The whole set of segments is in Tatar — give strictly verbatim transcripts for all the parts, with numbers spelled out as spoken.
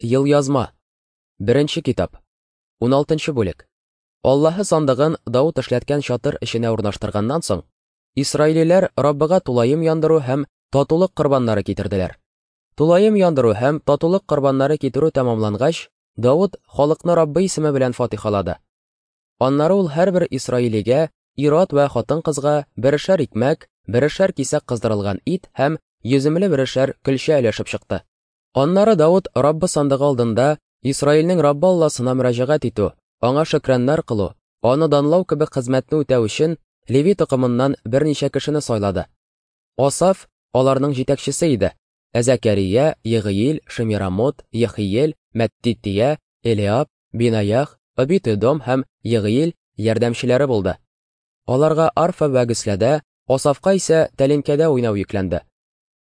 Елъязма. Беренче китап. Уналтынчы бүлек. Аллаһы сандыгын Давыт эшләткән чатыр эченә урнаштырганнан соң, исраилиләр Раббыга тулаем яндыру һәм татулык корбаннары китерделәр. Тулаем яндыру һәм татулык корбаннары китерү тәмамлангач, Давыт халыкны Раббы исеме белән фатихалады. Аннары ул һәрбер исраилигә, ир-ат вә хатын-кызга берешәр икмәк, берешәр кисәк кыздырылган ит һәм йөземле берешәр көлчә өләшеп чыкты. Аннары Давыт Раббы сандыгы алдында Исраилнең Раббы Алласына мөрәҗәгать итү, аңа шөкраннар кылу, аны данлау кебек хезмәтне үтәү өчен Леви токымыннан берничә кешене сайлады. Асаф аларның җитәкчесе иде. Ә Зәкәрия, Егыил, Шемирамот, Ехиел, Мәттития, Элиаб, Бинаях, Обит-Эдом һәм Егыил ярдәмчеләре булды. Аларга арфа вә гөсләдә, Асафка исә тәлинкәдә уйнау йөкләнде.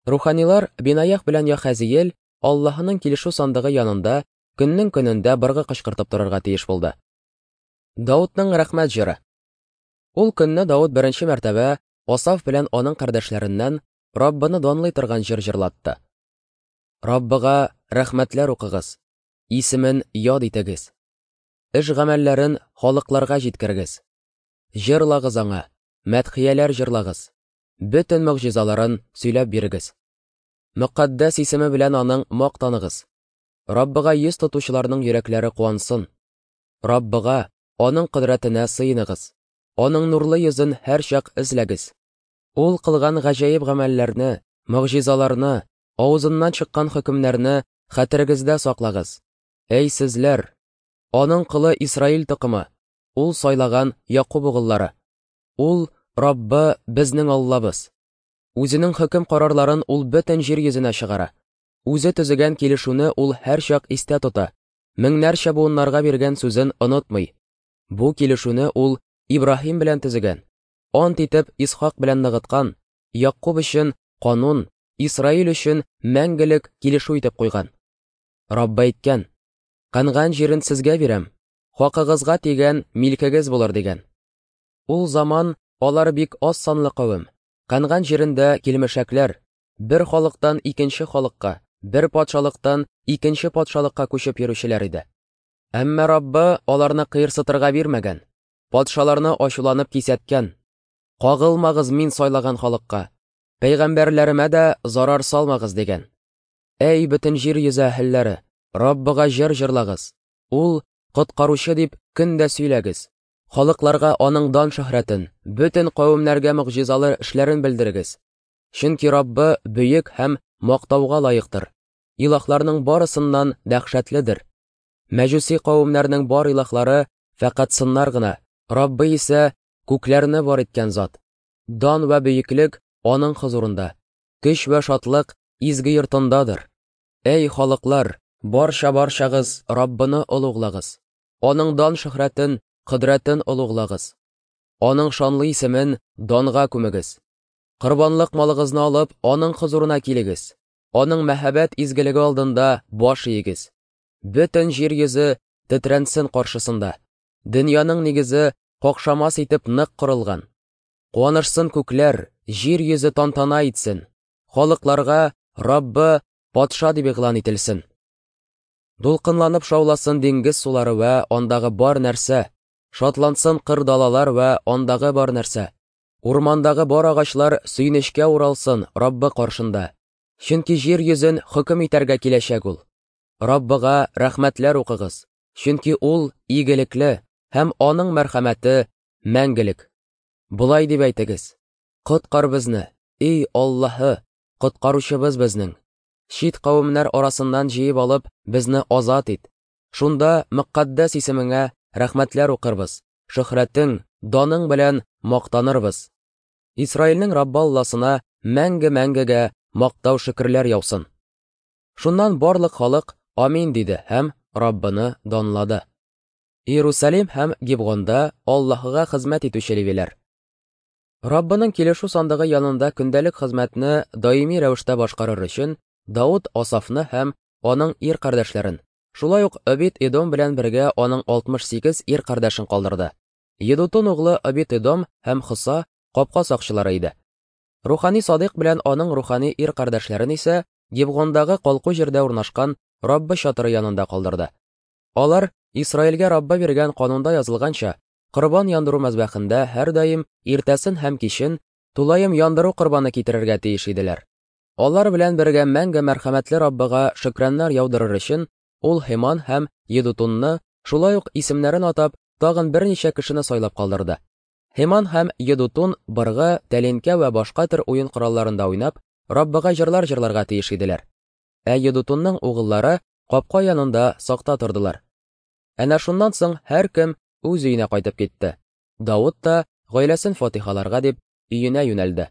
Руханилар Бинаях белән Яхазиел Аллаһының килешү сандыгы янында көннең көнендә быргы кычкыртып торырга тиеш булды. Даутның рәхмәт җыры. Ул көнне Даут беренче мәртәбә Асаф белән аның кардәшләреннән Раббыны данлый торган җыр җырлатты. Раббыга рәхмәтләр укыгыз, исемен яд итегез. Эш гамәлләрен халыкларга җиткерегез. Җырлагыз аңа, мәдхияләр җырлагыз. Бөтен могҗизаларын сөйләп бирегез. Мөкаддәс исеме белән аның мактаныгыз. Раббыга йөз тотучыларның йөрәкләре куансын. Раббыга, аның кодрәтенә сыеныгыз. Аның нурлы йөзен һәрчак эзләгез. Ул кылган гаҗәеп гамәлләрне, могҗизаларны, авызыннан чыккан хөкемнәрне хәтерегездә саклагыз. Әй сезләр, аның колы Исраил токымы, ул сайлаган Якуб угыллары. Ул Раббы безнең Аллабыз. Үзенең хөкем карарларын ул бөтен җир йөзенә чыгара. Үзе төзегән килешүне ул һәрчак истә тота. Меңнәрчә буыннарга биргән сүзен онытмый. Бу килешүне ул Ибраһим белән төзегән, ант итеп Исхак белән ныгыткан, Якуб өчен канун, Исраил өчен мәңгелек килешү итеп куйган. Раббы әйткән: "Канган җирен сезгә бирәм, хакыгызга тигән милкегез булыр" дигән. Ул заман алар бик аз санлы кавем, канган җирендә килмешәкләр, бер халыктан икенче халыкка, бер патшалыктан икенче патшалыкка күчеп йөрүчеләр иде. Әмма Раббы аларны кыерсытырга бирмәгән, патшаларны ачуланып кисәткән: "Кагылмагыз мин сайлаган халыкка, пәйгамбәрләремә дә зарар салмагыз" дигән. Әй бөтен җир йөзе әһелләре, Раббыга җыр җырлагыз. Ул коткаручы дип көн дә сөйләгез. Халыкларга аның дан шөһрәтен, бөтен кавемнәргә могҗизалы эшләрен белдерегез. Чөнки Раббы бөек һәм мактауга лаектыр. Илаһларның барысыннан дәһшәтледер. Мәҗүси кавемнәрнең бар илаһлары фәкать сыннар гына, Раббы исә күкләрне бар иткән зат. Дан вә бөеклек аның хозурында, көч вә шатлык изге йортындадыр. Әй халыклар, барча барчагыз Раббыны олуглагыз. Аның дан шөһрәтен, кодрәтен олуглагыз. Аның шанлы исемен данга күмегез. Корбанлык малыгызны алып, аның хозурына килегез. Аның мәһабәт изгелеге алдында баш иегез. Бөтен җир йөзе тетрәнсен каршысында. Дөньяның нигезе какшамас итеп нык корылган. Куанышсын күкләр, җир йөзе тантана итсен. Халыкларга Раббы патша дип игълан ителсен. Дулкынланып шауласын диңгез сулары вә андагы бар нәрсә, шатлансын кыр далалар вә андагы бар нәрсә. Урмандагы бар агачлар сөенечкә уралсын Раббы каршында. Чөнки җир йөзен хөкем итәргә киләчәк ул. Раббыга рәхмәтләр укыгыз, чөнки ул игелекле һәм аның мәрхәмәте мәңгелек. Болай дип әйтегез: "Коткар безне, эй Аллаһы, коткаручыбыз безнең. Чит кавемнәр арасыннан җыеп алып, безне азат ит. Шунда мөкаддәс исемеңә рәхмәтләр укырбыз, шөһрәтең, даның белән мактанырбыз. Исраилнең Раббы Алласына мәңге-мәңгегә мактау шөкерләр яусын." Шуннан барлык халык амин диде һәм Раббыны данлады. Иерусалим һәм Гибгонда Аллаһыга хезмәт итүче левиләр. Раббының килешү сандыгы янында көндәлек хезмәтне даими рәвештә башкарыр өчен Давыт Асафны һәм аның ир кардәшләрен, шулай ук Обит-Эдом белән бергә аның алтмыш сигез ир кардәшен калдырды. Едутун углы Обит-Эдом һәм Хоса капка сакчылары иде. Рухани Садыйк белән аның рухани ир кардәшләрен исә Гибгондагы калку җирдә урнашкан Раббы чатыры янында калдырды. Алар, Исраилгә Раббы биргән канунда язылганча, корбан яндыру мәзбәхендә һәрдаим иртәсен һәм кичен тулаем яндыру корбаны китерергә тиеш иделәр. Алар белән бергә мәңге мәрхәмәтле Раббыга шөкраннар яудырыр өчен ул Һеман һәм Едутунны, шулай ук исемнәрен атап, тагын берничә кешене сайлап калдырды. Һеман һәм Едутун быргы, тәлинкә вә башка төр уен коралларында уйнап, Раббыга җырлар җырларга тиеш иделәр. Ә Едутунның угыллары капка янында сакта тордылар. Әнә шуннан соң һәркем үз өенә кайтып китте. Давыт та гаиләсен фатихаларга дип өенә юнәлде.